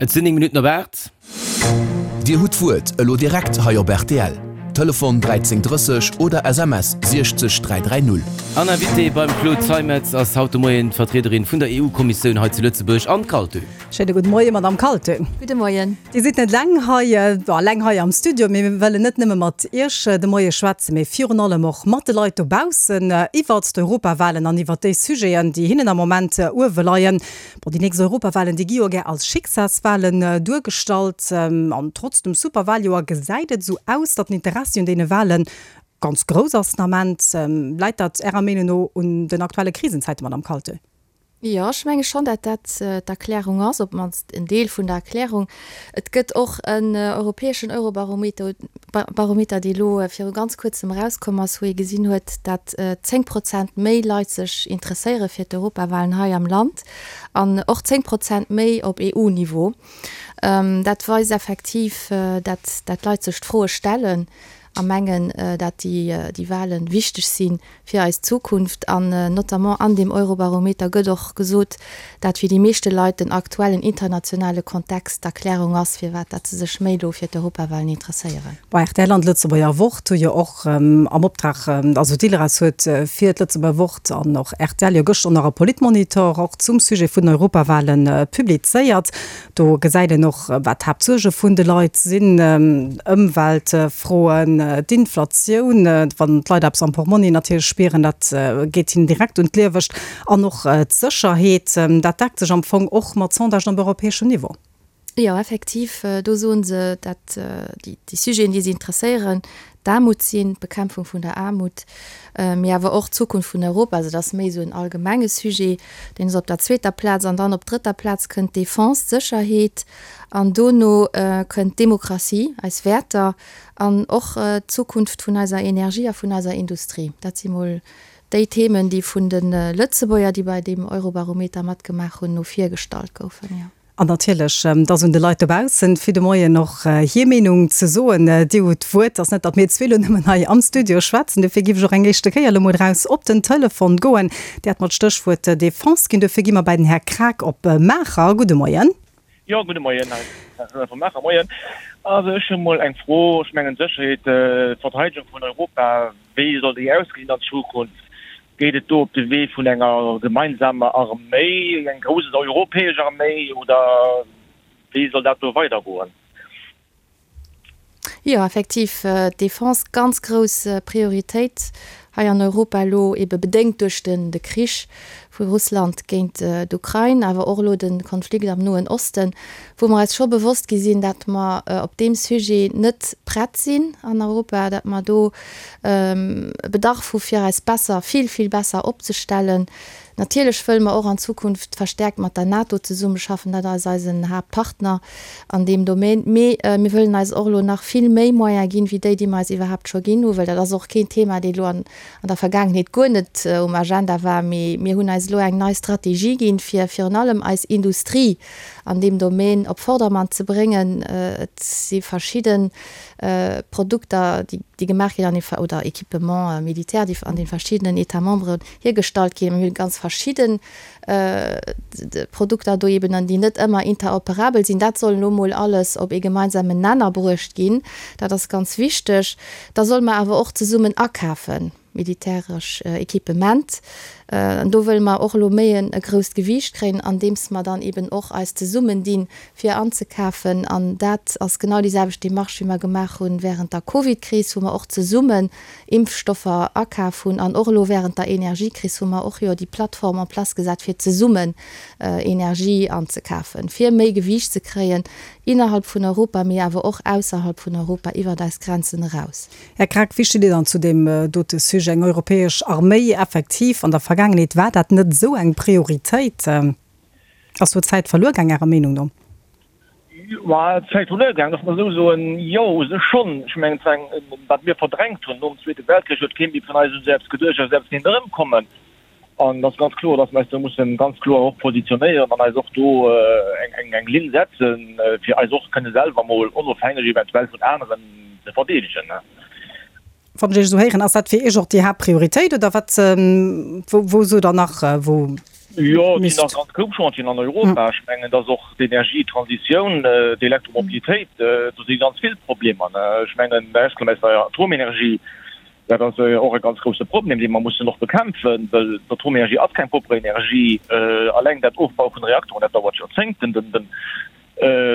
Et sinn 9 Minutten op 8. Dir hutt d'Wuert elo direkt hei op rtl. Telefon 13 30 oder SMS 60 330. An Invitée beim Claude Zeimetz ass haut de Moien d'Vertriederin vun der EU-Kommissioun hei zu Lëtzebuerg, Anne Kaltö. Schéine gudde Moien, Madamm Kaltö. Gudde Moien. Dir sidd net eleng hei, bon, eleng hei am Studio, mee mir wëllen net nëmme mat Iech de Moie schwätzen, mee virun allem och mat de Leit dobaussen iwwert d'Europawalen an iwwert déi Sujeten, déi hinnen am Moment uewe leien. Bon, déi nächst Europawalen, déi gi jo gär als Schicksalswalen duergestallt. An trotz dem Superwaljoer gesäit et esou aus, datt den Interessi un deene Wale ganz grouss ass den Ament. Läit dat Ärer Meenung no un den aktuelle Krisenzäiten, Madamm Kaltö? Jo, ech menge schonn, datt dat d'Erklärung ass, op d'mannst en Deel vun der Erklärung. Et gëtt och en europäeschen Eurobarometer, Barometer, dee elo viru ganz kuerzem erauskomm ass, wou ee gesinn huet, dat 10 Prozent méi Leit sech interesséiere fir d'Europawalen hei am Land an och 10 Prozent méi op EU-Niveau. Dat weist effektiv, dat dat d'Leit sech d'Froe stellen a mengen, dat déi Wale wichteg si fir eis Zukunft. An notamment an deem Eurobarometer gëtt och gesot, dat fir déi meeschte Leit den aktuellen internationale Kontext d'Erklärung ass, firwat dat se sech méi elo fir d'Europawalen interesséieren. Bon, rtl an d'Lëtzebuerger Wort hu jo och am Optrag, also d'Ilres huet fir d'Lëtzebuerger Wort an och rtl jo gëschter nach e Politmonitor och zum Sujet vun den Europawale publizéiert. Do gesäit een och, wat d'Haaptsuerge vun de Leit sinn, Ëmweltfroen, d'Inflatioun, wann d'Leit eppes am Portmonni natierlech spieren, dat geet hinnen direkt un d'Liewescht, an och d'Sécherheet. Dat deckt sech am Fong och mat Sondagen op europäeschem Niveau. Jo, effektiv, do soe se, dat déi Sujeten, déi si interesséieren, d'Aarmut sinn, d'Bekämpfung vun der Aarmut, mee awer och d'Zukunft vun Europa. Also dat ass méi esou en allgemenge Sujet, deen ass op der zweeter Plaz. An dann op drëtter Plaz kënnt d'Defense, d'Sécherheet an dono kënnt d'Demokratie, eis Wäerter an och d'Zukunft vun eiser Energie a vun eiser Industrie. Dat si mol déi Themen, déi vun de Lëtzebuerger, déi bei deem Eurobarometer matgemaach hunn, no vir gestallt goufen, jo. An natierlech, et ass un de Leit dobaussen, fir de Moien och hir Meenung ze soen. Dir hutt d'Wuert. Et ass net, datt mir zwee elo nëmmen hei am Studio schwätzen. Dofir géif ech och eng éischte Kéier elo mol eraus op den Telefon goen. Dir hat mer d'Stéchwuert Defense ginn. Dofir gi mer bei den Här Kraak op Maacher. Gudde Moien. Jo, gudde Moien. Hei ass den Här Kraak vu Maacher. Moien. Also ech hu mol eng Fro. Ech mengen d'Sécherheet, d'Verteidegung vun Europa, Wéi soll déi ausgesinn an Zukunft? Geet et do op de Wee vun enger gemeinsamer Arméi, eng grouss europäesch Arméi, oder wéi soll dat do weidergoen? Jo, effektiv, d'Defense, ganz grouss Prioritéit hei an Europa elo, ebe bedéngt duerch de Krich vu Russland géint d'Ukrain, awer och elo de Konflikt am Noen Osten, wou mer eis scho bewosst gi sinn, dat mer op deem Sujet net prett sinn an Europa, dat mer do e Bedarf hu fir eis besser, vill, vill besser opzestellen. Natierlech wëlle mer och an Zukunft verstärkt mat der NATO zesummeschaffen, dat ass eisen Haaptpartner an deem Domaine. Mee mir wëllen eis och elo nach vill méi Moyene ginn, wéi déi, déi mer eis iwwerhaapt scho ginn hu, well dat ass och keen Thema, dee elo an an der Vergaangenheet guer net um Agenda war, mee mir hunn eis elo eng nei Strategie ginn, fir virun allem eis Industrie an deem Domaine op Vordermann ze bréngen. Et si verschidde Produkter, déi gemaach ginn an oder Équipements militaires, déi an de verschiddenen États membres hiergestallt ginn. Mir hu ganz verschidde Produkter do eben an déi net ëmmer interoperabel sinn. Dat soll elo mol alles op ee gemeinsamen Nenner bruecht ginn. Dat ass ganz wichteg. Da solle mer awer och zesummen akafen, militäresch Equipement. An do wëlle mer och elo méi e grousst Gewiicht kréien, andeems mer dann eben och eis zesummendinn, fir anzekafen. An dat ass genau déi selwecht Démarche, wéi mer gemaach hu während der Covidkris, wou mer och zesummen Impfstoffer akaf hunn an och elo während der Energiekris hu mer och jo déi Plattform en place gesat, fir zesummen Energie anzekafen, fir méi Gewiicht ze kréien innerhalb vun Europa, mee awer och ausserhalb vun Europa, iwwert eis Grenzen eraus. Här Krack, wéi steet Dir dann zu deem dote Sujet, eng europäesch Arméi? Effektiv, an der Vergaangenheet war dat net esou eng Prioritéit. Ass do Zäit verluer gaang, Ärer Meenung no? Ma d'Zäit verluer gaang, loosse mer esou soen, jo, u sech schonn. Ech mengen, et war eng, wat mir verdrängt hunn nom Zweete Weltkrich, huet kee méi vun eis un sech eppes geduecht, dass eppes kéint erëmkommen. An et ass ganz kloer, dass mer eis do mussen ganz kloer och positionéieren an eis och do eng, eng Linn setzen, fir eis och kënne selwer mol onofhängeg eventuell vun aneren ze verdeedegen. Wann ech Iech esou héieren, ass dat fir Iech och déi Haaptprioritéit oder wat, wou, wou sot Der nach, wou. Jo, et sinn nach ganz grouss Chantieren an Europa. Ech mengen, dass och d'Energietransitioun, d'Elektromobilitéit, do si ganz vill Problemer. Ech mengen, ausgenommen aus der Atomenergie, dat ass och e ganz grousse Problem, dee mer mussen och bekämpfen, well d'Atomenergie ass keng propre Energie. Alleng dat Ofbaue vun de Reaktoren, dat dauert Joerzéngten.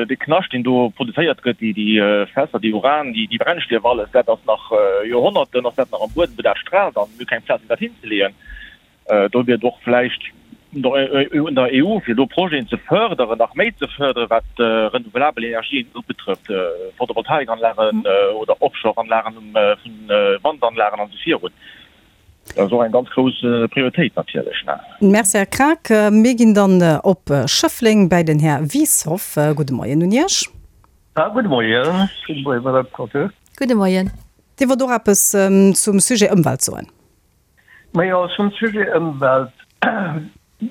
De Knascht, deen do produzéiert gëtt, déi Fässer, déi Uran, déi Brennstief, alles dat ass nach Joerhonnerten ass dat nach am Buedem, wou dat straalt an mir hu keng Plaz fir dat hinzeleeën. Do wier et och vläicht un der EU, fir do Projeten ze fërderen, nach méi ze fërderen, wat renouvelabel Energien ubetrëfft, Photovoltaikanlagen oder Offshore-Anlagen vun Wandanlagen an esou virun. Dat ass och eng ganz grouss Prioritéit natierlech. Merci, Här Kraak. Mir ginn dann op Schëffleng bäi den Här Wieshoff. Gudde Moien un Iech. Gudde Moien. Gudde Moien, Madame Conter. Gudde Moien. Dir wollt och eppes zum Sujet Ëmwelt soen. Majo, zum Sujet Ëmwelt,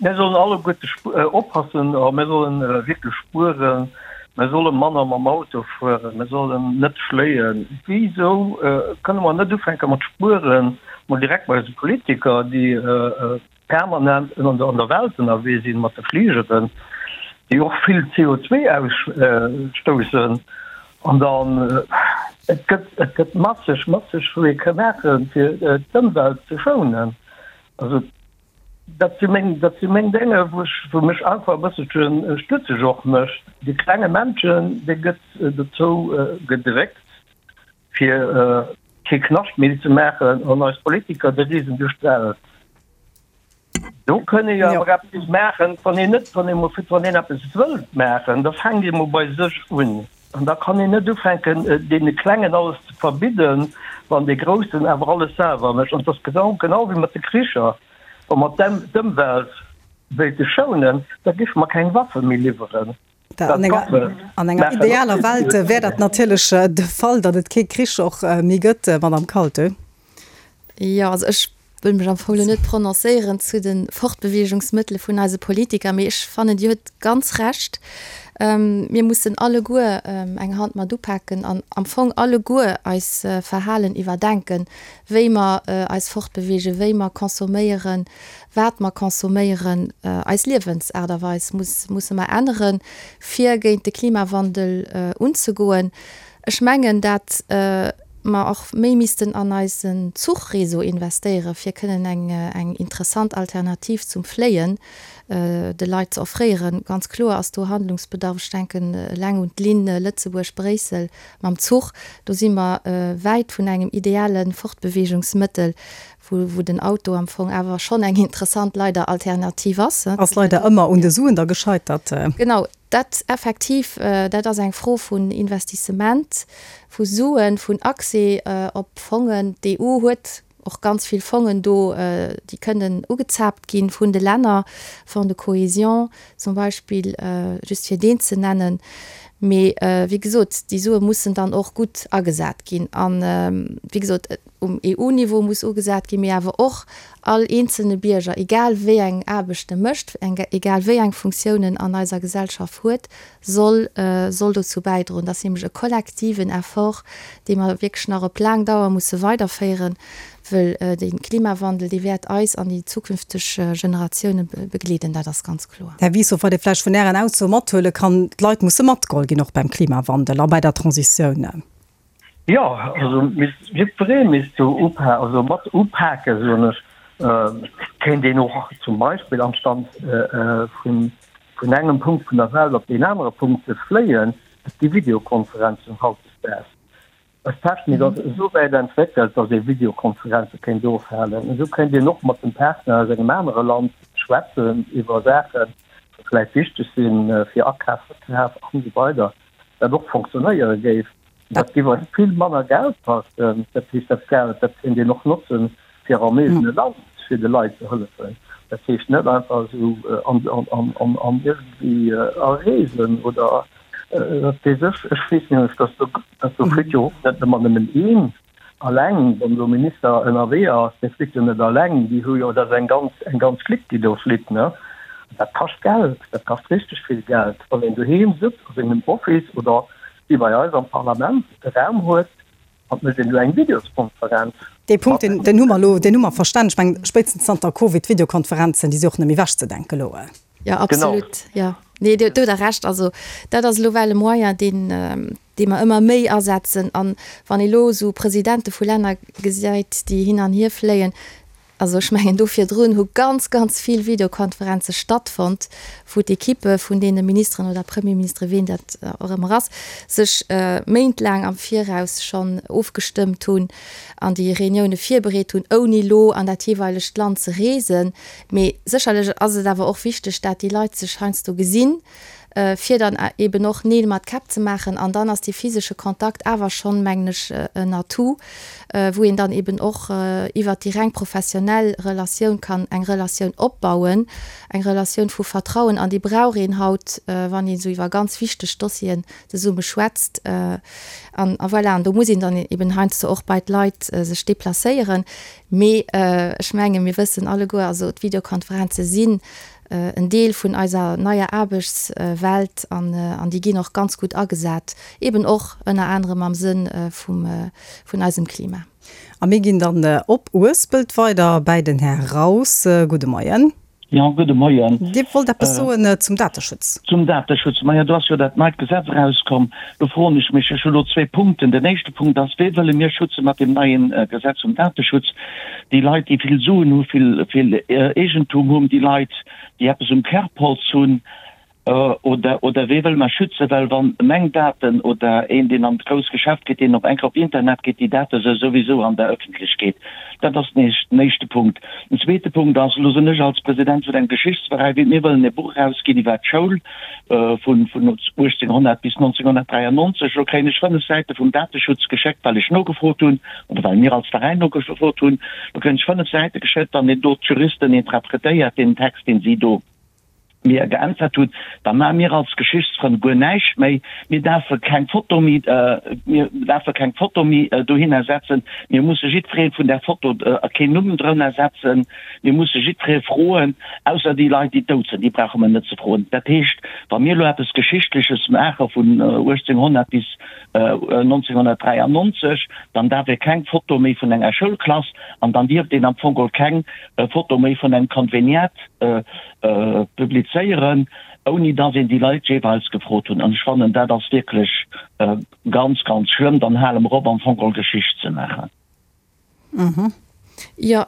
Mir sollen alleguerte oppassen a mir solle wierklech spueren. Mir solle manner mam Auto fueren, mir sollen net fléien. Wisou kënne mer net ufänke mat spueren, mol direkt bei eise Politiker, déi permanent an der Welt ënnerwee sinn mat de Fligeren, déi och vill CO2 ausstoussen? An dann, et gëtt, et gëtt masseg, masseg, wou ee ka maachen, fir d'Ëmwelt ze schounen. Also dat si meng, dat si meng Dénge, wou ech, wou mech einfach e bësselche stutzeg och mécht. De klenge Männchen, dee gëtt dozou gedréckt, fir kee Knascht méi ze maachen, an eis Politiker, déi reesen duerch d'Welt. Do kënn ee jo awer eppes maachen, wann een net, wann ee mol, wann een eppes wëllt maachen, da fänkt ee mol bei sech un. An da kann een net ufänken, deene Klengen alles ze verbidden, wann dee Groussen awer alles selwer mécht. An et ass genau, genau wéi mat de Kricher, Wa mer d'Ëmwelt wéilte schounen, da géife mer keng Waffe méi liwweren. An enger idealer Welt wär dat natierlech de Fall, datt et kee Krich och méi gëtt, Madame Kaltö. Jo, also ech wëll mech am Fong elo net prononcéieren zu de Fortbeweegungsmëttele vun eise Politiker, mee ech fannen, Dir huet ganz Recht. Mir mussen alleguer eng Hand mat upaken an am Fong alleguer eis Verhalen iwwerdenken, wéi mer eis fortbeweegen, wéi mer consomméieren, wat mer consomméieren, eis Liewensaart a Weis muss, musse mer änneren, fir géint de Klimawandel unzegoen. Ech mengen, dat mer och méi missten an eisen Zuchreseau investéieren, fir kënnen eng, eng interessant Alternativ zum Fléien de Leit ze offréieren. Ganz kloer ass do Handlungsbedarf. Ech denken eleng un d'Linn Lëtzebuerg-Bréissel mam Zuch. Do si mer wäit vun engem ideale Fortbeweegungsmëttel, wou, wou den Auto am Fong awer schonn eng interessant, leider, Alternativ ass. Ass leider ëmmer un de Suen da gescheitert. Genau, dat effektiv, dat ass eng Fro vun Investissement, vu Suen, vun Accès op Fongen. D'EU huet och ganz vill Fongen do, déi kënnen ugezaapt gi vun de Länner, Fonds de cohésion zum Beispill, just fir deen ze nennen. Mee wéi gesot, déi Sue mussen dann och gutt agesat ginn. An, wéi gesot, um EU-Niveau muss ugesat ginn, mee awer och all eenzelne Bierger, egal wéi eng Aarbecht e mécht, egal wéi eng Funktioun en an eiser Gesellschaft huet, soll soll dozou bäidroen. Dat ass nämlech e kollektiven Effort, dee mer wierklech nach op laang Dauer musse weiderféieren, wëll de Klimawandel, dee wäert eis an déi zukünfteg Generatioune begleeden, dat ass ganz kloer. Här Wieshoff, wat ee vläicht vun Ären Aussoe mathuele kann, D'Leit musse matgeholl ginn, och beim Klimawandel a bei der Transitioun. Jo, also misst jiddweree misst do upa also mat upaken, soen ech. Et kéint een och zum Beispill anstand vun vun engem Punkt vun der Welt op deen anere Punkt ze fléien, et gi Videokonferenzen hautdesdaags. Eis Technik ass esou wäit entwéckelt, datt ee Videokonferenze kéint ofhalen. Esou kéint een och mat dem Partner aus engem anere Land schwätzen iwwer Saachen, déi vläicht wichteg sinn fir Akaf, Verkaf an esou weider, dat och fonctionnéiere géif. Dat géif eis vill manner Geld kaschten. Dat heescht, dat Geld, dat kéint een och notzen, fir am eegene Land fir de Leit ze hëllefen. Dat heescht net einfach esou an iergendwéi a Reesen oder wat weess ech. Ech weess nämlech, dass do, dass do flitt jo och net ëmmer nëmmen een alleng, wann elo Minister ënnerwee ass, dee flitt jo net alleng, déi hu jo, dat ass eng ganz, eng ganz Clique, déi do flitt, ne. Dat kascht Geld, dat kascht richteg vill Geld. Wann een doheem sëtzt a sengem Office oder wéi bei eis am Parlament e Raum huet. An et mécht een elo eng Videoskonferenz. Dee Punkt, deen, deen hu mer elo, deen hu mer verstanen. Ech mengen, spéitstens zanter Covid, d'Videokonferenzen, déi si och net méi ewechzedenken elo. Jo, absolut, jo. Nee, do hutt Der Recht. Also dat ass elo well e Moyen, deen, dee mer ëmmer méi asetzen. An wann ee lo esou Presidente vu Länner gesäit, déi hin an hier fléien, also ech mengen do virdrun hu ganz, ganz vill Videokonferenze stattfonnt, wou d'Ekippe vun deene Ministeren oder Premierministere, ween dat och ëmmer ass, sech méintlaang am Viraus schonn ofgestëmmt hunn an déi Reunioune virbereet hunn, ouni lo an dat jeeweilegt Land ze reesen. Mee sécherlech ass et awer och wichteg, dat déi Leit sech heiansdo gesinn, fir dann eben och Neel mat Käpp ze maachen. An dann ass dee physesche Kontakt awer schonn, mengen ech, en Atout, wou een dann eben och iwwert déi reng professionell Relatioun kann eng Relatioun opbauen, eng Relatioun vu Vertrauen. An déi brauch een haut, wann een esou iwwer ganz wichteg Dossieren zesumme schwätzt. An voilà, an do muss een dann eben heiansdo och bei d'Leit sech deplacéieren. Mee ech mengen, mir wëssen alleguer, also d'Videokonferenze sinn en Deel vun eiser neier Aarbechtswelt an déi ginn och ganz gutt agesat, eben och ënner anerem am Sënn vun eisem Klima. A mir ginn dann op Uespelt weider bäi den Här Raus. Gudde Moien. Jo, gudde Moien. Dir wollt eppes soen zum Dateschutz. Zum Dateschutz. Majo, do ass jo dat neit Gesetz erauskomm. Do froen ech mech, ech hu lo zwee Punkten. Den éischte Punkt ass, Wee wëlle mir schütze mat deem neie Gesetz vum Dateschutz? Déi Leit, déi vill Suen hu, vill, vill Eegentum hunn, déi Leit, déi eppes um Kerbholz hunn, oder, oder wee wëlle mer schützen? Well wann meng Daten oder een, deen an d'grouss Geschäft geet, deen op eng Kéier op Internet geet, déi Date se souwisou an der Ëffentlechkeet. Dat ass den éischte Punkt. Den zweete Punkt ass, elo sinn ech als President vun engem Geschichtsveräi, mir wëllen e Buch erausginn iwwer d'Schoul vun 1800 bis 1993. Elo kréien ech 5 Säite vum Dateschutz geschéckt, well ech nogefrot hunn, oder well mir als Veräin nogefrot hunn. Do kréien ech 5 Säite geschéckt, wann een do d'Juristen interpretéiert, deen Text, deen si do mir geäntwert hunn, da maache mir als Geschichtsfrënn guer näischt méi. Mir däerfe keng Foto méi, mir däerfe keng Foto méi dohinner setzen. Mir musse jiddweree vun där Foto keen Numm drënner setzen. Mir musse jiddweree froen, ausser déi Leit, déi dout sinn, déi brauche mer net ze froen. Dat heescht, wa mir elo eppes Geschichtleches maache vun 1800 bis 1993, dann däerf ee keng Foto méi vun enger Schoulklass an dann dierft een am Fong geholl keng Foto méi vun engem Konveniat publizéieren, ouni dass een déi Leit jeeweils gefrot hunn. An ech fannen, dat ass wierklech ganz, ganz schlëmm. Dann hale mer op, am Fong geholl Geschicht ze maachen. Jo,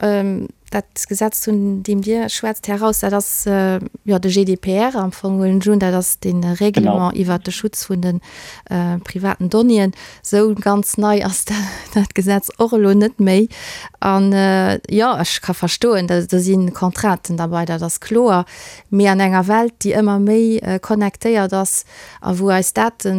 dat Gesetz, vun deem Dir schwätzt, Här Raus, dat ass jo de GDPR am Fong, huelen ech un. Dat ass dee Règlement iwwert de Schutz vun de privaten Donnéeën. Esou ganz nei ass dat Gesetz och elo net méi. An jo, ech ka verstoen, do si Contrainten derbei, dat ass kloer. Mee an enger Welt, déi ëmmer méi connectéiert ass a wou eis Date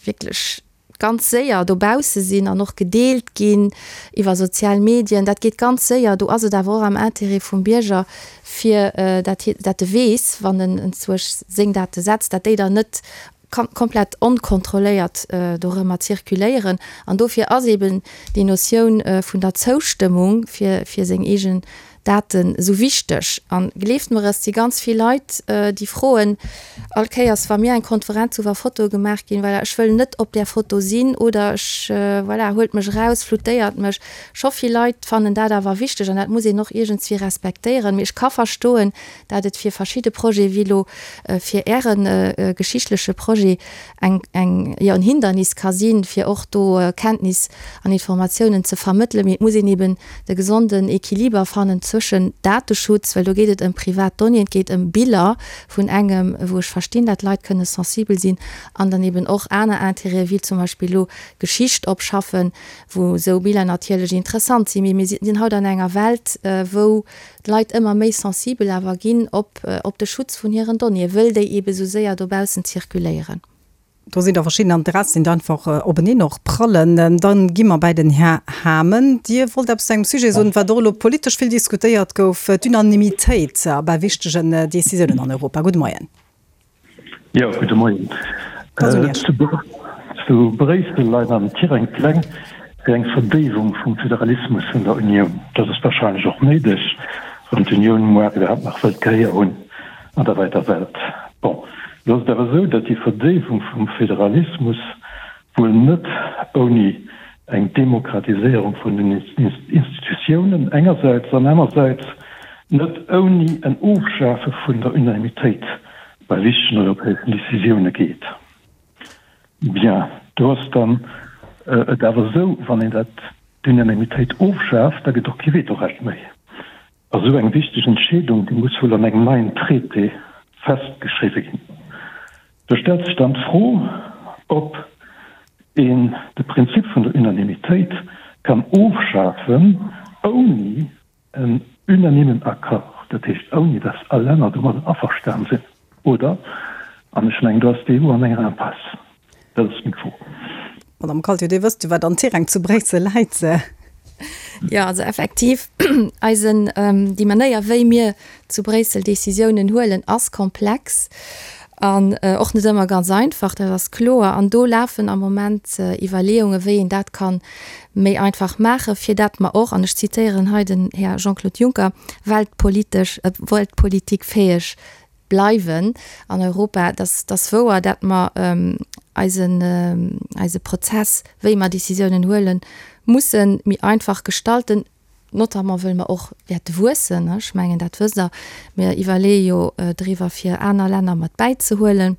wierklech ganz séier dobausse sinn an och gedeelt ginn iwwer sozial Medien, dat geet ganz séier. Do ass et awer och am Intérêt vum Bierger, fir dat hie, dat e weess, wann en enzwousch seng Date setzt, dat déi dann net komplett onkontrolléiert dorëmmer zirkuléieren. An dofir ass eben déi Notioun vun der Zoustëmmung fir, fir seng eegen Daten esou wichteg. An gleeft mer, et si ganz vill Leit, déi froen all Kéiers, wa mir eng Konferenz hu wa Fotoe gemaach ginn, voilà, ech wëll net op där Foto sinn oder ech, voilà, huelt mech eraus, floutéiert mech. Scho vill Leit fannen dat awer wichteg an dat muss een och iergendswéi respektéieren. Mee ech ka verstoen, dat et fir verschidde Projete wéi elo fir Äre geschichtleche Projet eng, eng, jo, en Hindernis ka sinn, fir och do Kenntnis an Informatiounen ze vermëttelen. Mee et muss een eben de gesonden Equiliber fannen zwëschen Dateschutz, well do geet et ëm privat Donnéeën, et geet ëm Biller vun engem, wou ech verstinn, dat Leit kënne sensibel sinn, an dann eben och aner Intérêten, wéi zum Beispill elo Geschicht opschaffen, wou esou Biller natierlech interessant sinn. Mee mir sinn haut an enger Welt, wou d'Leit ëmmer méi sensibel awer ginn op op de Schutz vun hiren Donnéeën, wëll déi eebe sou séier dobaussen zirkuléieren. Do sinn der verschidden Interessen, déi einfach openeen och prallen. Dann gi mer bäi den Här Hamen. Dir wollt eppes zu engem Sujet soen, wat och elo politesch vill diskutéiert gouf, d'Unanimitéit bei wichtegen Décisiounen an Europa. Gudde Moien. Jo, gudde Moien. Zu Bréissel leien am Tirang Pläng fir eng Verdéiwung vum Föderalismus vun der Unioun. Dat ass warscheinlech och néideg, wann d'Unioun muar iwwerhaapt nach wëllt Gehéier hunn an der wäiter Welt. Bon, elo ass et awer esou, datt déi Verdéiwung vum Föderalismus wuel net ouni. Eng Demokratiséierung vun den Institutiounen engersäits an anersäits net ouni en Ofschafe vun der Unanimitéit bei wichtegen europäeschen Décisioune geet. Bien, do ass dann et awer esou, wann een dat, d'Unanimitéit ofschaaft, da gëtt och kee Vetorecht méi. A sou eng wichteg Entscheedung, déi muss wuel an engem neien Traité festgeschriwwe ginn. Do stellt sech dann d'Fro, ob een de Prinzip vun der Unanimitéit kann ofschafen, ouni en unanimen Accord, dat heescht ouni datt all Länner domadden averstan sinn, oder? An ech mengen, do ass d'EU an enger Impasse. Dat ass meng Fro. Madame Kaltio, Dir wësst jo, wat an Tirang zu Bréissel läit. Jo, also effektiv, eisen, déi Manéier, wéi mir zu Bréissel Décisiounen huelen, ass komplex an och net ëmmer ganz einfach, dat ass kloer. An do lafen am Moment Iwwerleeungen, wéi een dat ka méi einfach maachen, fir dat mer och, an ech zitéieren hei den Här Jean-Claude Juncker, weltpolitesch, weltpolitikfäeg bleiwen an Europa. Dass ass wouer, dat mer eisen, eise Prozess, wéi mer Décisiounen huelen, musse méi einfach gestalten, notamment wëll mer och wäerte wuessen. Ech mengen, dat wësst Der. Mir iwwerleeë jo driwwer, fir aner Länner mat bäizehuelen.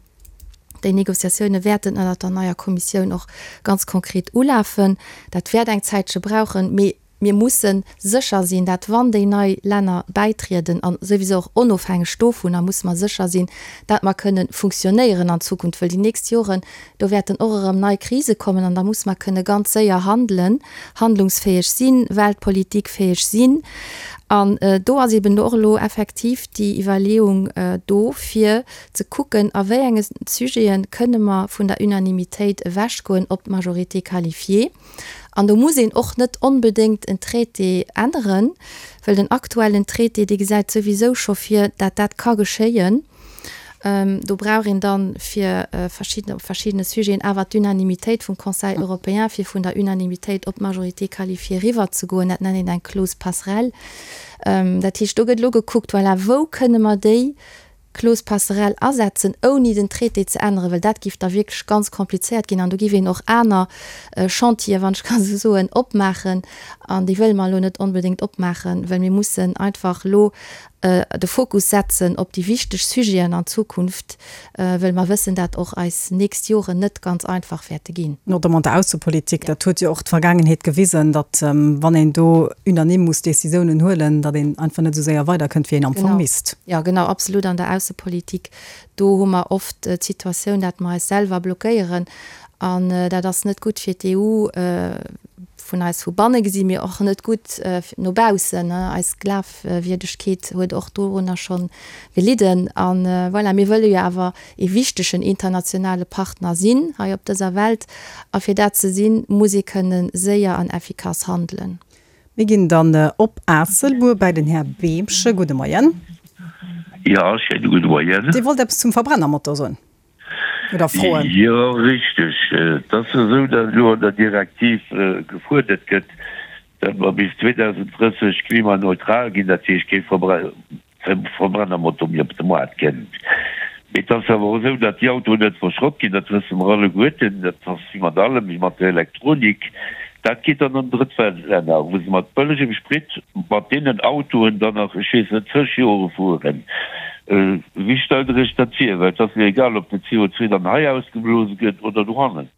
Déi Négociatioune wäerten ënnert der neier Kommissioun och ganz konkret ulafen. Dat wäert eng Zäitche brauchen, mee Mir musse sécher sinn, dat wann déi nei Länner bäitrieden, a souwisou och onofhängeg dovunner, musse mer sécher sinn, dat mer kënne funktionéieren an Zukunft, wëll déi nächst Joren, do wäerten och erëm nei Krise kommen an da musse mer kënne ganz séier handelen, handlungsfäeg sinn, weltpolitikfäeg sinn. An do ass eben och elo effektiv déi Iwwerleeung do, fir ze kucken, a wéi enge Sujete kënne mer vun der Unanimitéit ewechgoen op d'Majorité qualifiée. An do muss een och net onbedéngt en Traité änneren, well den aktuellen Traité, dee gesäit souwisou scho vir, dat dat ka geschéien. Do brauch een dann fir verschidden, op verschiddene Sujeten awer d'Unanimitéit vum Conseil européen, fir vun der Unanimitéit op d'Majorité qualifiée eriwwerzegoen. Dat nennt een eng Clause passerelle. Dat heescht, do gëtt elo gekuckt, voilà, wou kënne mer déi Clause passerelle asetzen, ouni den Traité ze änneren, well dat géif da wierklech ganz komplizéiert ginn an do géif een och aner Chantieren, wann ech kann esou soen, opmaachen an déi wëlle mer elo net onbedéngt opmaachen, well mir mussen einfach elo de Fokus setzen op déi wichteg Sujeten an Zukunft, well mer wëssen, dat och eis nächst Joren net ganz einfach wäerte ginn. Notamment der Aussepolitik, dat huet jo och d'Vergaangenheet gewisen, datt wann een do unanime muss Décisiounen huelen, datt een einfach net esou séier weiderkënnt, wéi een am Fong misst. Jo, genau, absolut. An der Aussepolitik, do hu mer oft d'Situatioun, dat mer eis selwer blockéieren an dat ass net gutt fir d'EU vun eis vu banne gesi, mee och net gutt no baussen. Eis Glafwierdegkeet huet och dorunner scho gelidden. A voilà, mir wëlle jo awer ee wichtegen internationale Partner sinn hei op dëser Welt. A fir dat ze sinn, muss ee kënne séier an effikass handelen. Mir ginn dann op Aasselbuer bäi den Här Beemche. Gudde Moien. Jo, schéine gudde Moien. Dir wollt eppes zum Verbrennermotor soen oder froen? Jo, richteg. Et ass jo esou, datt elo an der Direktiv gefuerdert gëtt, datt mer bis 2030 klimaneutral ginn, dat heescht kee Verbrennermotor méi op de Moart kënnt. Mee et ass awer och esou, datt déi Autoen net verschrott ginn, dat wësse mer alleguerten. Dat ass wéi mat allem, wéi mat der Elektronik. Dat geet dann an Drëttweltlänner, wou se mat bëllegem Sprit mat deenen Autoen dann nach, ech weess net, zeg Jore fueren. Wéi stellt Der Iech dat vir? Well et ass jo egal, ob den CO2 dann hei ausgeblose gëtt oder dohannen.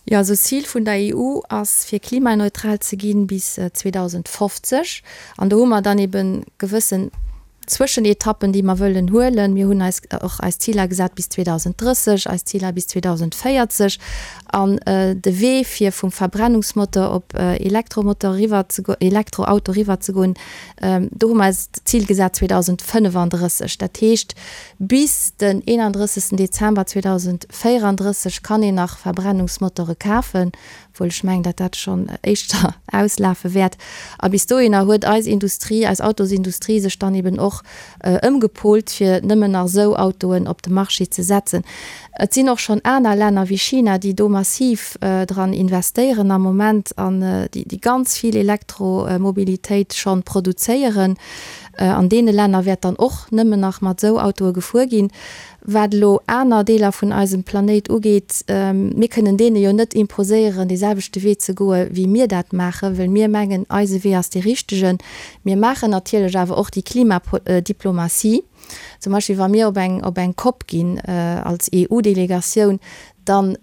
Jo, also d'Zil vun der EU ass fir klimaneutral ze ginn bis 2050. An do hu mer dann ebe gewëssen Zwëschenetappen, déi mer wëllen huelen. Mir hunn eis och eis Ziler gesat bis 2030, eis Ziler bis 2040. An de Wee fir vum Verbrennungsmotor op Elektromotor eriwwer ze goen, Elektroauto eriwwer ze goen, do hu mer eis d'Zil gesat 2035. Dat heescht, bis den 31. Dezember 2034 kann een nach Verbrennungsmotore kafen, obwuel ech mengen, datt dat schonn éischter auslafe wäert. A bis dohinner huet eis Industrie, eis Autosindustrie sech dann eben och ëmgepolt, fir nëmmen nach esou Autoen op de Marché ze setzen. Et sinn och schonn aner Länner wéi China, déi do massiv dran investéieren am Moment an déi ganz vill Elektromobilitéit schonn produzéieren. An deene Länner wäert dann och nëmmen nach mat esou Autoe gefuer ginn. Wat elo aner Deeler vun eisem Planéit ugeet, mir kënnen deene jo net imposéieren, dee selwechte Wee ze goe wéi mir dat maachen, well mir mengen, eise Wee ass dee richtegen. Mir maachen natierlech awer och déi Klimadiplomatie. Zum Beispill wa mir op eng, op eng Cop ginn als EU-Delegatioun, dann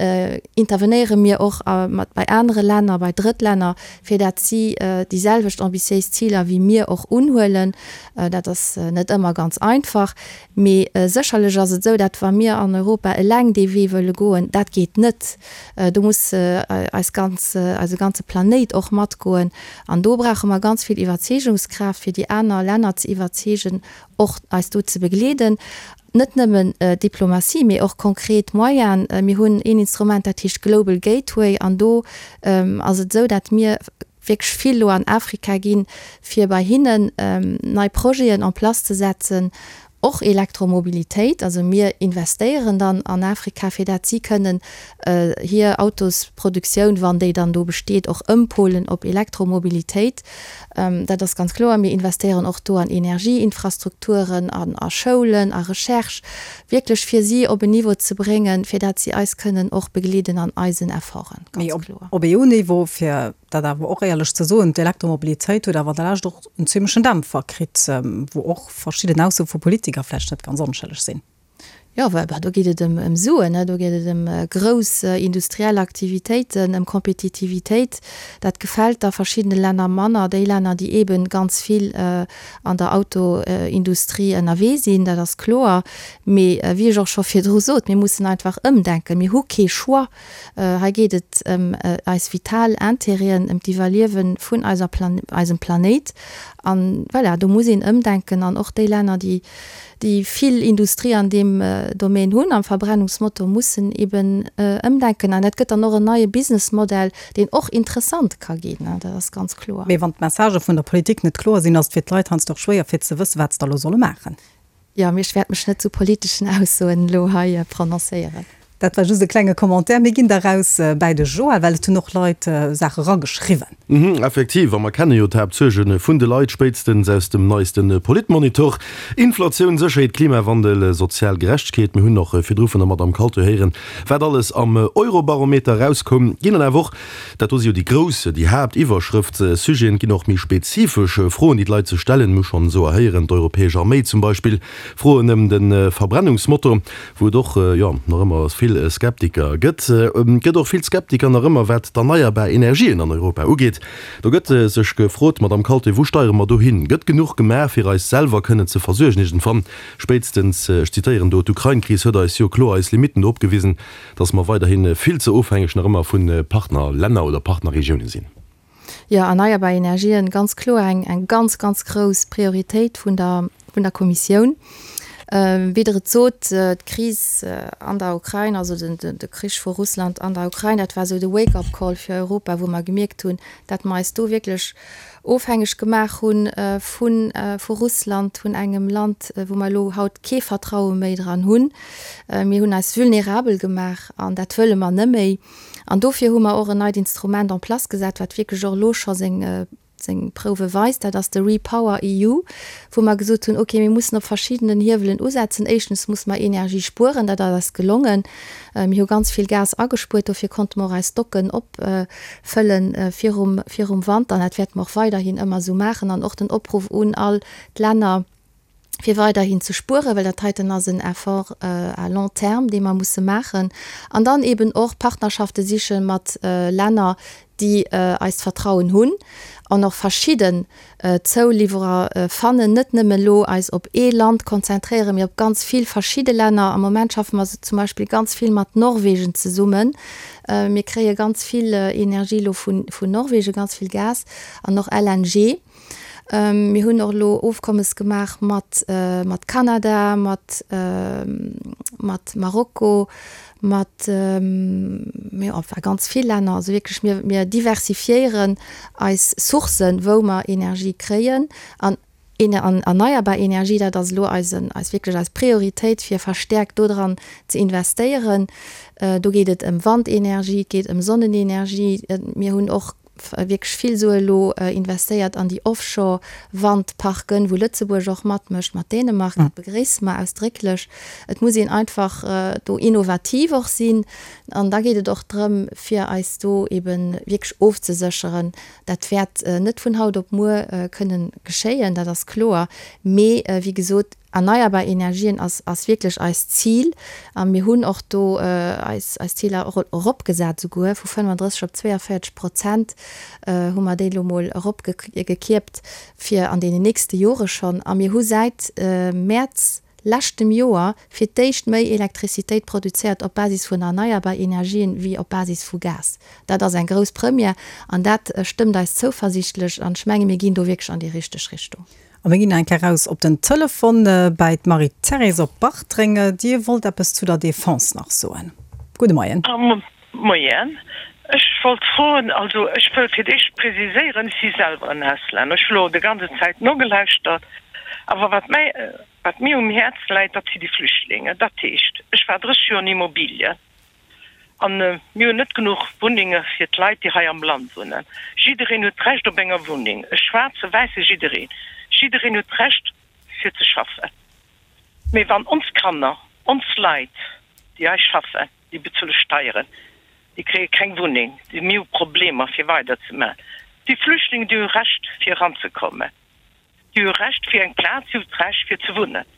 intervenéiere mir och mat bei anere Länner, bei Drëttlänner, fir dat si déi selwecht ambitiéis Ziler wéi mir och unhuelen. Dat ass net ëmmer ganz einfach. Mee sécherlech ass et esou, dat wa mir an Europa eleng dee Wee wëlle goen, dat geet net. Do muss eis ganz, eise ganze Planéit och matgoen. An do brauche mer ganz vill Iwwerzeegungskraaft, fir déi aner Länner ze iwwerzeegen, och eis do ze begleeden. Net nëmmen Diplomatie, mee och konkret Moyenen. Mir hunn een Instrument, dat heescht Global Gateway. An do ass et esou, dat mir wierklech vill elo an Afrika ginn, fir bei hinnen nei Projeten en place ze setzen, och Elektromobilitéit. Also mir investéieren dann an Afrika, fir dat si kënnen hir Autosproduktioun, wann déi dann do besteet, och ëmpolen op Elektromobilitéit. Dat ass ganz kloer. Mir investéieren och do an Energieinfrastrukturen, an a Schoulen, a Recherche, wierklech fir si op en Niveau ze bréngen, fir dat si eis kënnen och begleeden an eisen Efforten, ganz kloer. Mee op EU-Niveau, fir dat awer och éierlech ze soen, d'Elektromobilitéit huet awer an der Lescht och en zimlechen Dämpfer kritt, wou och verschidden Aussoe vu Politiker vläicht net ganz onschëlleg sinn. Jo, well do geet et ëm Suen, do geet et ëm grouss industriell Aktivitéiten, ëm Kompetitivitéit. Dat gefält da verschiddene Länner manner, déi Länner, déi eebe ganz vill an der Autoindustrie ënnerwee sinn, dat ass kloer. Mee wéi ech och scho virdru sot, mir mussen einfach ëmdenken. Mir hu kee Choix. Hei geet et ëm eis vital Intérêten, ëm d'Iwwerliewe vun eiser eisem Planéit. An voilà, do muss een ëmdenken an och déi Länner, déi déi vill Industrie an deem Domaine hunn, am Verbrennungsmotor, mussen eben ëmdenken. An dat gëtt dann och en neie Businessmodell, deen och interessant ka ginn, dat ass ganz kloer. Mee wann d'Messagë vun der Politik net kloer sinn, ass et fir d'Leit heiansdo och schwéier fir ze wëssen, wat se da elo solle maachen. Jo, mee ech wäert mech net zu politeschen Aussoen elo hei prononcéieren. Dat war just e klenge Commentaire. Mir ginn da raus bäi de Joël, well et hunn och Leit Saache rageschriwwen. Mhm, effektiv, a mer kenne jo d'Haaptsuerge vun de Leit, spéitstens aus dem neiste Politmonitor, Inflatioun, Sécherheet, Klimawandel, sozial Gerechtegkeet. Mir hunn och virdru vun der Madamm Kalté héieren, wat alles am Eurobarometer erauskoum. Ginn dann awer och, dat do si jo déi grouss, déi Haaptiwwerschrëftssujeten, et ginn och méi spezifesch Froen, déi d'Leit sech stellen. Mir hu schonn esou erhéieren, d'europäesch Arméi zum Beispill, Froen ëm de Verbrennungsmotor. Wou et och, jo, nach ëmmer vill Skeptiker gëtt. Et gëtt och vill Skeptiker nach ëmmer, wat d'erneierbar Energien an Europa ugeet. Do gëtt sech gefrot, Madamm Kalté, wou steiere mer do hin? Gëtt genuch gemaach, fir eis selwer kënnen ze versuergen iergendwann? Spéitstens, ech zitéieren do, d'Ukrain-Kris huet eis jo kloer eis Limitten do opgewisen, dass mer weiderhi vill ze ofhängeg nach ëmmer vu Partnerlänner oder Partnerregiounen sinn. Jo, erneierbar Energien, ganz kloer eng, eng ganz, ganz grouss Prioritéit vun der, vun der Kommissioun. Wéi Der et sot, d'Kris an der Ukrain, also den, de Krich vu Russland an der Ukrain, dat war esou de Wake-up-Call fir Europa, wou mer gemierkt hunn, dat mer eis do wierklech ofhängeg gemaach hu vu, vu Russland, vun engem Land, wou mer elo haut kee Vertraue méi dran hunn. Mir hunn eis vulnerabel gemaach an dat wëlle mer neméi. An dofir hu mer och en neit Instrument en place gesat, wat wierklech och elo scho seng, seng Prouwe weist. Dat ass de REPower EU, wou mer gesot hunn, okay, mir mussen op verschiddenen Hiewelen usetzen. Éischtens muss mer Energie spueren, dat ass eis gelongen. Mir hu ganz vill Gas agespuert, dofir konnte mer och eis Stocken opfëllen virum, virum Wanter. An dat wäerte mer och weiderhin ëmmer esou maachen. An och den Opruff un all d'Länner, fir weiderhin ze spueren, well dat heiten ass en Effort à long terme, dee mer musse maachen, an dann eben och Partnerschafte siche mat Länner, déi eist Vertrauen hunn an och verschidden Zouliwwerer fannen, net nëmmen elo eis op ee Land konzentréieren, mee op ganz vill verschidde Länner. Am Moment schaffe mer zum Beispill ganz vill mat Norwegen zesummen. Mir kréie ganz vill Energie elo vun Norwegen, ganz vill Gas an och LNG. Mir hunn och elo Ofkommes gemaach mat mat Kanada, mat mat Marokko, mat jo enfin ganz vill Länner. Also wierklech mir mir diversifiéieren eis Sourcen, wou mer Energie kréien. An an erneierbar Energie, dat ass elo eisen eis wierklech eis Prioritéit, fir verstäerkt dodran ze investéieren. Do geet et ëm Wandenergie, et geet ëm Sonnenenergie. Mir hunn och. wierklech vill Sue elo investéiert an déi Offshore-Wandparken, wou Lëtzebuerg och matmécht mat Dänemark. Dat begréisse mer ausdrécklech. Et muss een einfach do innovativ och sinn. An da geet et och drëm, fir eis do ebe wierklech ofzesécheren. Dat wäert net vun haut op muer kënnen geschéien, dat ass kloer. Mee wéi gesot, Erneierbar Energien ass, ass wierklech eist Zil a mir hunn och do eis, eis Ziler eropgesat, souguer vu 35 op 42 Prozent hu mer déi elo mol eropgekierpt fir an deenen nächste Jore schonn. A mir hu säit Mäerz leschtem Joer fir d'éischt méi Elektrizitéit produzéiert op Basis vun erneierbar Energien wéi op Basis vu Gas. Dat ass eng grouss Première an dat stëmmt eis zouversiichtlech an ech menge mir ginn do wierklech an déi richteg Richtung. A mir ginn nach eng Kéier raus op den Telefon bäi d'Marie-Thérèse op Bartreng. Dir wollt eppes zu der Defense nach soen. Gudde Moien. Moien. Ech wollt froen, also ech wëll fir d'éischt preziséieren, ech si selwer en Auslänner. Ech hu lo de ganze Zäit nogelauschtert, awer wat mäi, wat mir um Häerz läit, dat si déi Flüchtlingen. Dat heescht, ech war 30 Joer an Immobilien. An mir hunn net genuch Wunnenge fir d'Leit, déi hei am Land wunnen. Jiddereen huet d'Recht op enger Wunneng, e Schwaarze, Wäisse, jiddereen. Jiddereen huet d'Recht fir ze schaffen. Mee wann ons Kanner, ons Leit, déi hei schaffen, déi bezuele Steieren, déi kréie keng Wunneng, déi, mir hu Problemer fir weiderzemaachen. Déi Flüchtlingen, déi hu Recht fir eranzekommen. Déi hu Recht fir eng Plaz, si hu d'Recht fir ze wunnen.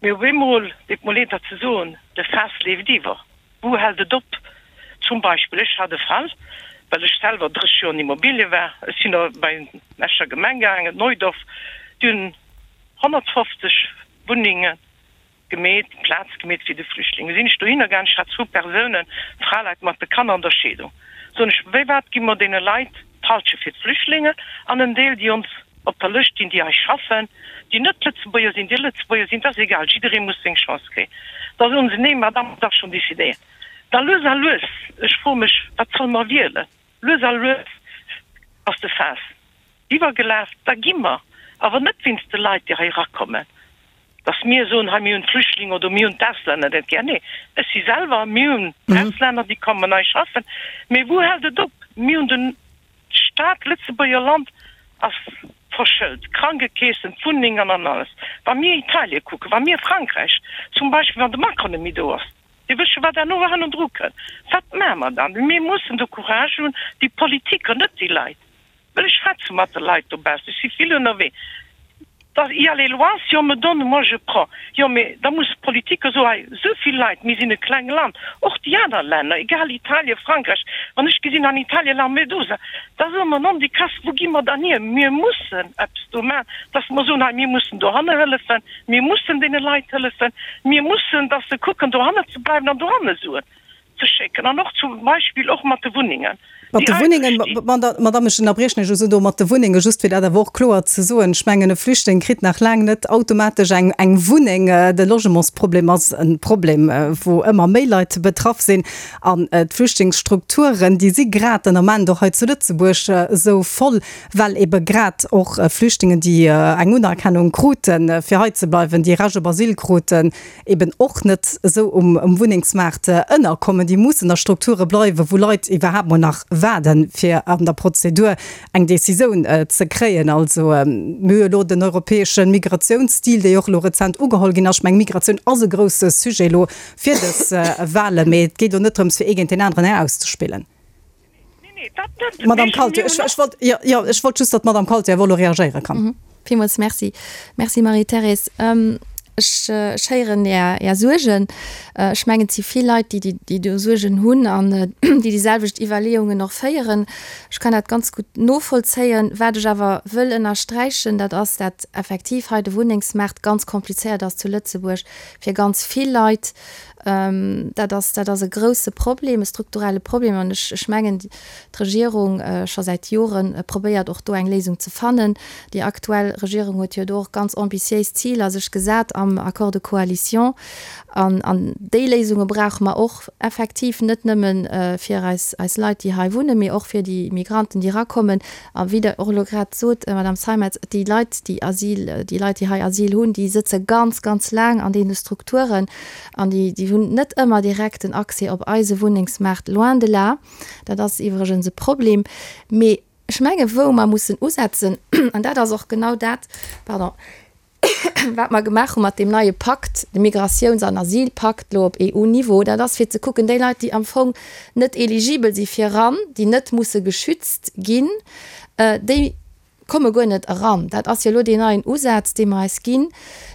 Mee op eemol, deet mer leed dat ze soen, de Faass leeft iwwer. Wou hält et op? Zum Beispill, ech hat e Fall, well ech selwer 30 Joer an Immobilie war, ech sinn da bei d'Escher Gemeng gaangen, Neudorf, déi hunn 150 Wunnengen gemeet, Plaz gemeet fir de Flüchtlinge. Sinn ech dohinner gaang, ech hat zwou Persounen, Fraleit mat de Kanner an der Scheedung, soen ech, wéi wat gi mer deene Leit d'Halsche fir d'Flüchtlingen an en Deel, déi ons op der Lëscht stinn, déi hei schaffen, déi net Lëtzebuerger sinn, déi Lëtzebuerger sinn, et ass egal, jidderee muss seng Chance kréien. Da soen se, nee Madame, et ass schonn décidéiert. Da lues a lues, ech froe mech, wat solle mer wielen? Lues a lues ass de Faass iwwergelaf, da gi mer awer net wéinst de Leit, déi hei erakommen, dass mir soen, hei mir hunn d'Flüchtlinge oder mir hunn d'Auslänner net gär. Nee, ech si selwer, mir hunn Auslänner, déi kommen hei schaffen. Mee wou hält et op? Mir hunn den Staat, d'Lëtzebuerger Land ass verschëlt, d'Krankekeessen, d'Wunnengen an alles. Wa mir Italien kucken, wa mir Frankräich zum Beispill, wann de Macron net méi do ass, Dir wësst scho wat herno hannendru kënnt. Wat maache mer dann? Mir mussen de Courage hunn, déi Politiker, net déi Leit, well ech schwätze mat de Leit dobaussen, ech si vill ënnerwee, da il y a les lois, si on me donne, moi je prends. Jo, mee da musse d'Politiker soen, hei esou vill Leit, mir sinn e kleng Land, och déi aner Länner, egal Italien, Frankräich, wann ech gesinn an Italien Lampedusa, da soe mer, non déi Kass, wou gi mer dann hier? Mir mussen eppes do maachen, dass mer soen, hei mir mussen dohanne hëllefen. Mir mussen deene Leit hëllefen. Mir mussen, dass se kucken, dohanne ze bleiwen an dohanne Suen ze schécken. An och zum Beispill och mat de Wunnengen, Mat déi de Wunnengen, eidel stinn. Madame, ech ënnerbriechen lech esou do, mat de Wunnengen, just fir dat awer och kloer ze soen, ech mengen, e Flüchtling kritt nach laang net automatesch eng, eng Wunneng. De Logementsproblem ass e Problem, wou ëmmer méi Leit betraff sinn. An d'Flüchtlingsstrukturen, déi si grad den Ament och hei zu Lëtzebuerg esou voll, well ebe grad och Flüchtlingen, déi eng Unerkennung kruten, fir hei ze bleiwen, déi Recht op Asyl kruten, eben och net esou um Wunnengsmaart ënnerkommen. Déi mussen a Strukture bleiwen, wou Leit iwwerhaapt mol nach waarden, fir an der Prozedur eng Decisioun ze kréien. Also mir hu jo elo den europäesche Migratiounsdeal, dee jo och elo rezent ugeholl ginn ass. Ech mengen, Migratioun ass e grousse Sujet elo fir dës Wahlen, mee et geet elo net drëms, fir ee géint deen aneren erauszespillen. Madame Kalté, ech wollt, jo, jo, ech wollt just, datt d'Madame Kalté awer elo reagéiere kann. Villmools Merci. Merci, Marie-Thérèse. Ech, ech héieren Är, Är Suergen. Ech mengen, et si vill Leit, déi, déi do Suergen hunn an déi déi selwecht Iwwerleeungen och féieren. Ech kann dat ganz gutt novollzéien. Wat ech awer wëll ënnersträichen, dat ass, dat effektiv hei de Wunnengsmaart ganz komplizéiert ass zu Lëtzebuerg fir ganz vill Leit. Dat ass, dat ass e grouse Problem, e strukturelle Problem. An ech, ech mengen, d'Regierung scho säit Jore probéiert och do eng Léisung ze fannen. Déi aktuell Regierung huet jo do och ganz ambitiéis Ziler sech gesat am Accord de coalition. An, an déi Léisunge brauche mer och effektiv, net nëmme fir eis, eis Leit, déi hei wunnen, mee och fir déi Migranten, déi erakommen. A wéi Der och elo grad sot, Madame Zeimetz, déi Leit, déi Asyl, déi Leit, déi hei Asyl hunn, déi sëtze ganz, ganz laang an deene Strukturen. An déi, déi hunn net ëmmer direkt den Accès op eise Wunnengsmaart, loin de là. Dat ass iwwregens e Problem. Mee. Ech menge wou mer mussen usetzen, an dat ass och genau dat, pardon, wat mer gemaach hu mat deem neie Pakt, de Migratiouns an Asylpakt elo op EU-Niveau, dat ass fir ze kucken, déi Leit, déi am Fong net eligibel si fir eran, déi net musse geschützt ginn, déi komme guer net eran. Dat ass jo elo deen neien Usaz, dee mer eis ginn.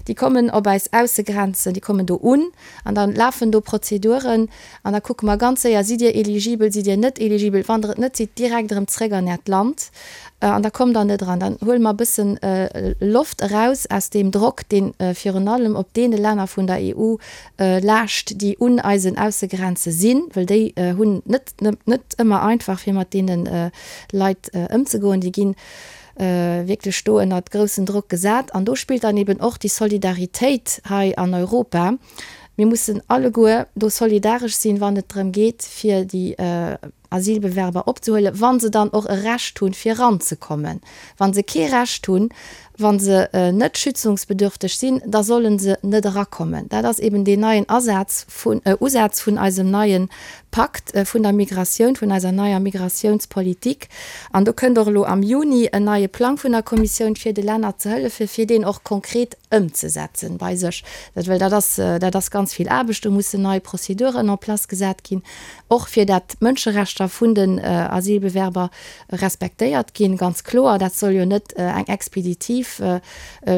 Déi kommen op eis Aussegrenzen, déi kommen do un an da lafen do Prozeduren an da kucke mer ganz séier, Sidd Dir eligibel, sidd Dir net eligibel? Wann Der et net sidd, direkt erëm zréck an Äert Land an da kommt Der net eran. Dann huele mer e bëssen Loft eraus aus deem Drock, dee virun allem op deene Länner vun der EU laascht, déi un eisen Aussegrenze sinn, well déi hunn net net ëmmer einfach, fir mat deene Leit ëmzegoen. Déi gi wierklech do ënnert groussen Drock gesat. An do spillt dann eben och déi Solidaritéit hei an Europa. Mir mussen alleguer do solidaresch sinn, wann et drëm geet, fir déi Asylbewerber opzehuelen, wa se dann och e Recht hunn, fir eranzekommen. Wa se kee Recht hunn, wa se net schützungsbedürfteg sinn, da solle se net erakommen. Dat ass eben deen neien Asaz vun, Usaz vun eisem neie Pakt vun der Migratioun, vun eiser neier Migratiounspolitik. An do kënnt och elo am Juni en neie Plang vun der Kommissioun, fir de Länner ze hëllefen, fir deen och konkret ëmzesetzen bei sech. Dat, well dat ass, dat ass ganz vill Aarbecht, do mussen nei Prozeduren en place gesat ginn, och fir dat d'Mënscherechter vun den Asylbewerber respektéiert ginn, ganz kloer. Dat soll jo net eng expeditiv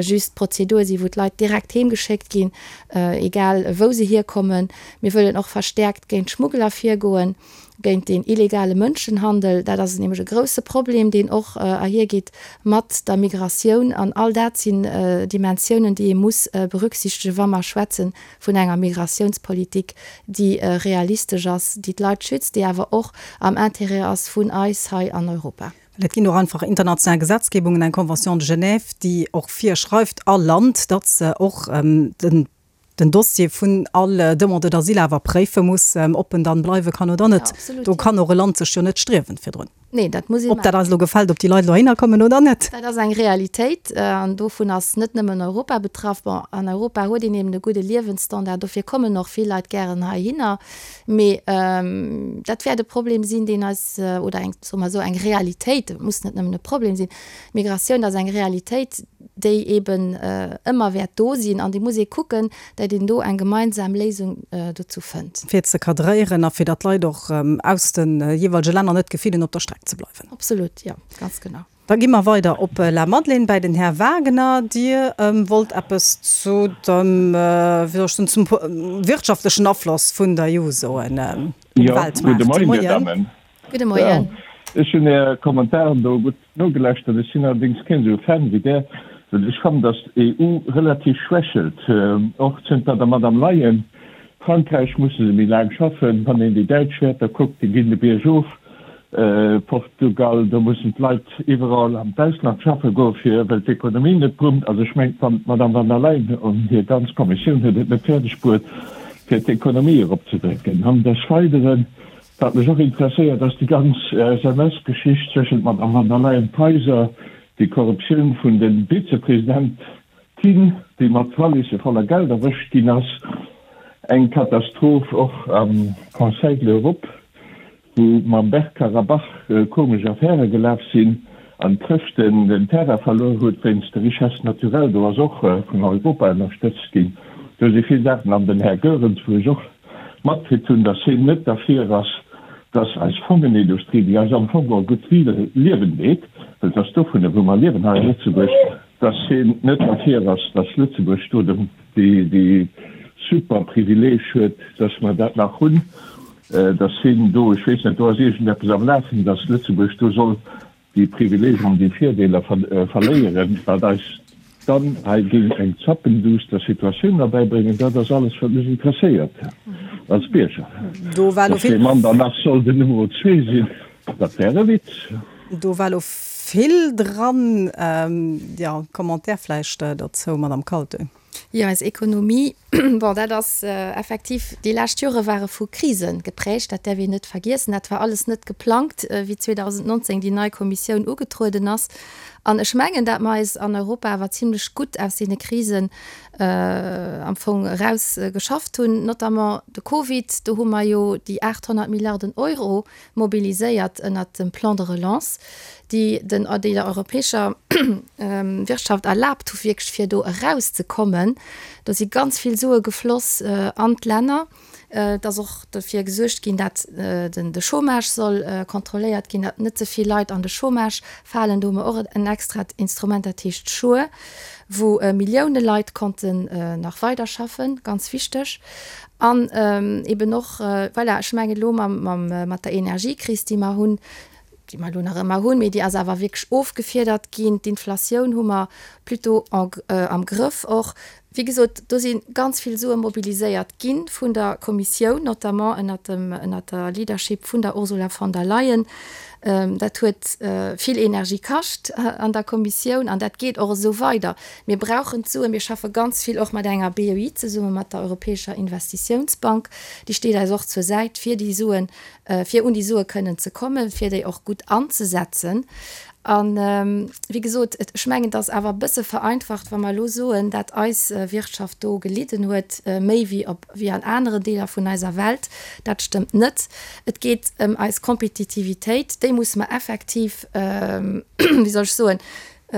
just Prozedur sinn, wou d'Leit direkt heemgeschéckt ginn, egal wou se hierkommen. Mir wëllen och verstäerkt géint d'Schmuggler virgoen, géint deen illegale Mënschenhandel. Dat ass nämlech e grouse Problem, deen och erhiergeet mat der Migratioun. An all dat sinn Dimensiounen, déi ee muss berücksichtegen, wa mer schwätze vun enger Migratiounspolitik, déi realistesch ass, déi d'Leit schützt, déi awer och am Intérêt ass vun eis hei an Europa. Well et ginn och einfach international Gesetzgebungen, eng Convention de Genève, déi och virschreift all Land, datt se och den Dossier vun all Demandeur d'asile awer préife muss, ob en dann bleiwe kann oder net. Do kann och e Land sech jo net striewen virdrun. Nee, dat muss ee Ob dat eis elo gefält, ob déi Leit elo heihinner kommen oder net. Dat ass eng Realitéit an dovun ass net nëmmen Europa betraff. Bon, an Europa huet een eben e gudde Liewensstandard, dofir kommen och vill Leit gären heihinner. Mee dat wäert e Problem sinn, deen eis, oder eng, soe mer esou, eng Realitéit, et muss net nëmmen e Problem sinn, Migratioun ass eng Realitéit, déi eben ëmmer wäert do sinn an déi muss ee kucken, datt een do eng gemeinsam Léisung dozou fënnt. Fir ze kadréieren a fir datt d'Leit och aus de jeeweilege Länner net d'Gefill hunn, op der Streck ze bleiwen. Absolut, jo, ganz genau. Da gi mer weider op Lamadelaine bäi den Här Wagener. Dir wollt eppes zu dem, wéi soll ech soen, zum wirtschaftlechen Afloss vun der EU soen um Weltmaart. Jo, gudde Moien, Dir Dammen. Gudde Moien. Ech hunn Är Kommentaren do gutt nogelauschtert. Ech sinn allerdéngs keen esou Fan wéi Der, well ech fannen, datt d'EU relativ schwächelt, och zënter der Madame Leyen. Frankräich musse se méi laang schaffen. Wann een déi däitsch Wäerter kuckt, déi ginn de Bierg of. Portugal, do mussen d'Leit iwwerall an d'Ausland schaffe goen, fir, well d'Ekonomie net brummt. Also ech mengen, wann d'Madame van der Leyen an hir ganz Kommissioun huet et net fäerdeg bruet, fir d'Ekonomie eropzedrécken. An des Weideren, Wat mech och interesséiert, ass déi ganz SMS-Geschicht zwëschent Madame van der Leyen-Peiser, déi Korruptioun vun de Vizepresidentin, déi mat Walisse voller Geld erwëscht ginn ass. Eng Katastroph och am Conseil de l'Europe, wou mam Bergkarabach komesch Affäre gelaf sinn an d'Chrëschten den Terrain verluer huet wéinst de Richesses naturelles. Do ass och vun Europa ënnerstëtzt ginn. Do si vill Saachen. An den Här Goerens, wou ech och matkritt hunn, dass hien net derfir ass, dass eis Fongenindustrie, déi eis am Fong och e gutt Liewen deet, well et ass dovunner, wou mer liewen hei a Lëtzebuerg, dass hien net derfir ass, dass Lëtzebuerg do dee super Privileeg huet, dass mer dat nach hunn, dass hien do, ech weess net, do ass iergendeppes am Lafen, dass Lëtzebuerg do soll déi Privileegen an déi Virdeeler verléieren, wat eis dann hei géing eng zappenduster Situatioun erbäibréngen, dat ass alles, wat mech interesséiert als Bierger. Dass dee Mann dann nach soll den Numero zwee sinn, dat wär e Witz. Do war elo vill dran. Jo, Commentaire vläicht dozou, Madamm Kaltö? Jo, eis Ekonomie, bon, dat ass effektiv, déi lescht Jore ware vu Krise geprägt, dat däerf een net vergiessen. Dat war alles net geplangt, wéi 2019 déi nei Kommissioun ugetrueden ass. An ech mengen, dat mer eis an Europa awer zimlech gutt aus deene Krisen am Fong eraus geschafft hunn, notamment de Covid, do hu mer jo déi 800 Milliarden Euro mobiliséiert ënnert dem Plan de relance, déi den, déi der europäescher Wirtschaft erlaabt hu wierklech fir do erauszekommen. Do si ganz vill Sue gefloss an d'Länner. Et ass och dofir gesuergt ginn, dat den de Chômage soll kontrolléiert ginn, dat net ze vill Leit an de Chômage falen. Do hu mer och en extrat Instrument, dat heescht Sure, wou Millioune Leit konnten nach weiderschaffen, ganz wichteg. An eben och, voilà, ech mengen elo mam, mam, mat der Energiekris, déi mer hunn, déi mer elo nach ëmmer hunn, mee déi ass awer wierklech ofgefiedert ginn, d'Inflatioun hu mer plutôt en, am Grëff och. Wéi gesot, do si ganz vill Sue mobiliséiert gi vun der Kommissioun, notamment ënnert dem, ënnert der Leadership vun der Ursula von der Leyen. Dat huet vill Energie kascht an der Kommissioun an dat geet och esou weider. Mir brauchen d'Suen. Mir schaffe ganz vill och mat enger BEI zesummen, mat der Europäescher Investitiounsbank. Déi steet eis och zur Säit, fir déi Suen, fir un déi Sue kënnen ze kommen, fir déi och gutt anzesetzen. A wéi gesot, ech mengen, et ass awer e bësse vereinfacht, wa mer elo soen, dat eis Wirtschaft do gelidden huet, méi wéi op, wéi an aneren Deeler vun eiser Welt. Dat stëmmt net. Et geet ëm eis Kompetitivitéit. Déi musse mer effektiv, wéi soll ech soen,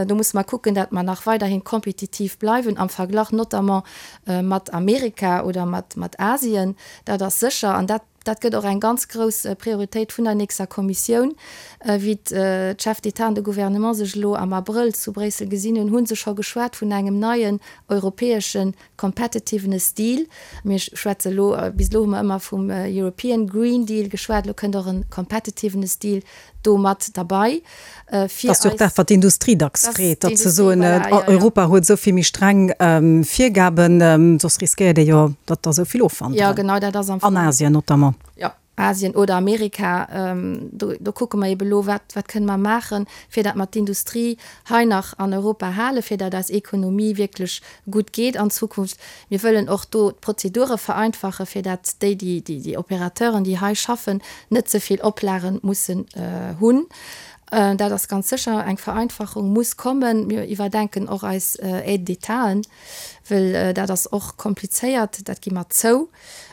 Do musse mer kucken, dat mer nach weiderhin kompetitiv bleiwen am Verglach notamment mat Amerika oder mat Asien. Dat ass sécher an dat, dat gëtt och eng ganz grouss Prioritéit vun der nächster Kommissioun. Wéi d'Chefs d'État an de Gouvernement sech elo am Abrëll zu Bréissel gesinn hunn, hu se scho geschwat vun engem neien europäesche Competitiveness Deal. Mir schwätze elo, bis elo hu mer ëmmer vum European Green Deal geschwat, elo kënnt och en Competitiveness Deal do mat derbei, fir eis. Dat ass jo och dat, wat d'Industrie dacks freet, datt se soen, Europa huet esou vill méi streng Virgaben, soss riskéiert ee jo, datt der esou vill ofwanderen. Jo, genau, dat ass am Fong. An Asien notamment. Jo. Asien oder Amerika, do, do kucke mer ebe lo, wat, wat kënne mer maachen, fir dat mer d'Industrie hei nach an Europa halen, fir dat eis Ekonomie wierklech gutt geet an Zukunft. Mir wëllen och do d'Prozedure vereinfachen, fir dat déi, déi, déi, déi Opérateuren, déi hei schaffen, net ze vill Oplagen mussen hunn. Dat ass ganz sécher, eng Vereinfachung muss kommen. Mir iwwerdenken och eis Aides d'Étaten, well dat ass och komplizéiert, dat gi mer zou.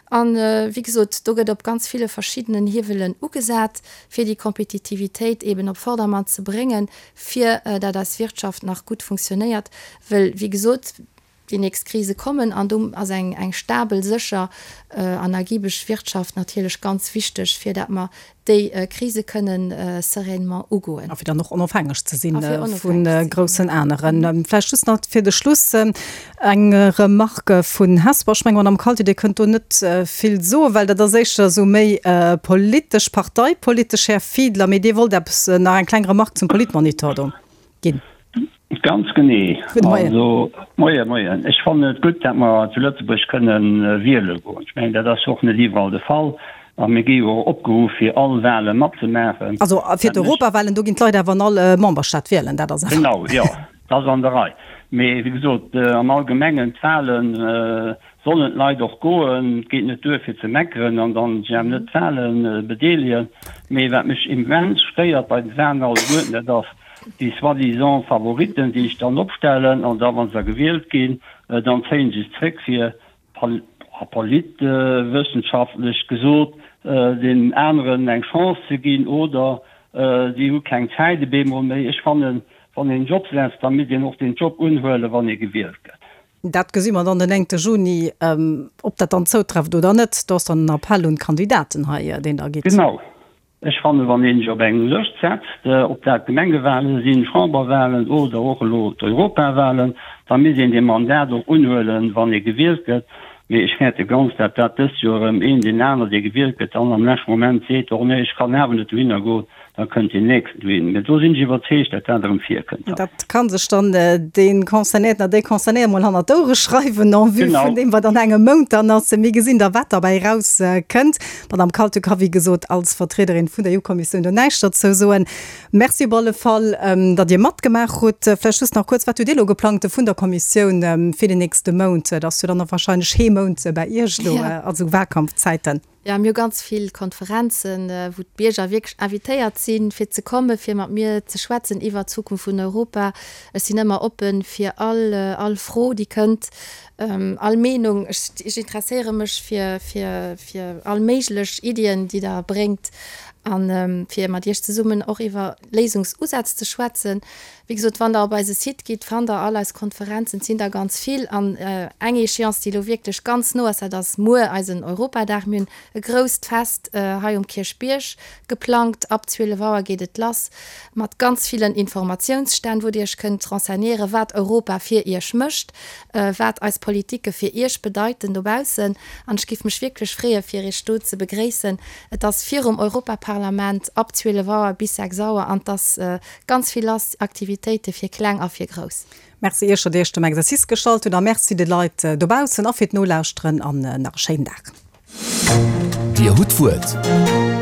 An, wéi gesot, do gëtt op ganz ville verschiddenen Hiewelen ugesat, fir déi Kompetitivitéit eben op Vordermann ze bréngen, fir dat eis Wirtschaft nach gutt funktionéiert. Well, wéi gesot, déi nächst Krise kommen an do ass eng, eng stabel, sécher an ergibeg Wirtschaft natierlech ganz wichteg, fir dat mer déi Krise kënnen sereinement ugoen. A fir dann och onofhängeg ze si vu groussen aneren. Vläicht just nach fir de Schluss eng Remarque vun Hesper. Ech mengen, Madamm Kalty, Dir kënnt do net vill soen, well dat ass éischter esou méi politesch, parteipolitesch, Här Fiedler. Mee Dir wollt eppes nach eng kleng Remarque zum Politmonitor do ginn. Ganz genee. Gudde Moien. Also, Moien, Moien. Ech fannen et gutt, datt mer zu Lëtzebuerg kënnen wiele goen. Ech mengen, dat ass och net iwwerall de Fall. A mir gi jo och opgeruff, fir all Wale matzemaachen. Also fir d'Europawalen, do ginn d'Leit awer an all Memberstaat wielen, dat ass awer. Genau, jo, dat ass an der Rei. Mee wéi gesot, am Allgemengen, d'Wale sollen d'Leit och goen. Et geet net duer, fir ze meckeren an dann sech awer net d'Wale bedeelegen. Mee wat mech immens stéiert bei de Walen alleguerten, dat ass, déi soi-disant Favoriten, déi sech dann opstellen an da, wa se da gewielt ginn, dann zéie se sech zréck, fir politwëssenschaftlech gesot deenen aneren eng Chance ze ginn, oder si hu keng Zäit op eemol méi. Ech fannen, wann een en Job setzt, da misst een och deen Job unhuelen, wann ee gewielt gëtt. Dat gesi mer dann den 9 Juni, ob dat dann zoutrefft oder net. Do ass dann en Appell un d'Kandidaten hei, deen Der gitt. Genau. Ech fannen, wann een sech op eng Lëscht setzt, ob dat Gemengewahlen sinn, Chamberwahlen oder och elo d'Europawahlen, da misst een dee Mandat och unhuelen, wann ee gewielt gëtt. Mee ech fäerte ganz, datt dat dëst Joer erëm een deen aner, dee gewielt gëtt, dann am leschte Moment seet, och nee, ech kann awer net dohinner goen, da kënnt deen nächsten dohin. Mee do sinn ech iwwerzeegt, datt dat erëm virkënnt. Dat ka sech dann dee Concernéierten oder déi Concernéiert mol hannert d'Ouere schreiwen en vue vun deem, wat an engem Mount dann ass. Mir gesinn da, wat derbäi erauskënnt. D'Madame Kaltü ka wéi gesot als Vertriederin vun der EU-Kommissioun do näischt derzou soen. Merci op alle Fall, datt Dir matgemaach hutt. Vläicht just nach kuerz, Wat hutt Dir elo geplangt vun der Kommissioun fir den nächste Mount? Et ass jo dann och wahrscheinlech Heem. Mount bäi Iech elo a sou Wahlkampfzäiten. Jo, mir hu ganz vill Konferenzen, wou d'Bierger wierklech invitéiert sinn, fir ze kommen, fir mat mir ze schwätzen iwwert d'Zukunft vun Europa. Ech sinn ëmmer oppe fir all, all Fro, déi kënnt, all Meenung. Ech, ech interesséiere mech fir, fir, fir all méiglech Iddien, déi Der bréngt, a fir mat Iech zesummen och iwwer Léisungsusätz ze schwätzen. Wéi gesot, wann Der op eise Site gitt, fannt Der all eis Konferenzen. Et sinn der ganz vill. An eng Échéance, déi elo wierklech ganz no ass, dat ass muer, eisen Europadag. Mir hunn e grousst Fest hei um Kierchbierg geplangt. Ab 12 Auer geet et lass mat ganz villen Informatiounsstänn, wou Dir Iech kënnt renseignéieren, wat Europa fir Iech mécht, wat eis Politike fir Iech bedeiten dobaussen. An ech géif mech wierklech freeën, fir Iech do ze begréissen. Et ass virum Europaparlament ab 12 Auer bis 6 Auer an et ass Ganz vill lass, Aktivitéite fir Kleng a fir Grouss. Merci Iech, datt Dir Iech dem Exercice gestallt hutt a Merci de Leit dobaussen a fir d'Nolauschteren an nach e schéinen Dag. Dir hutt d'Wuert.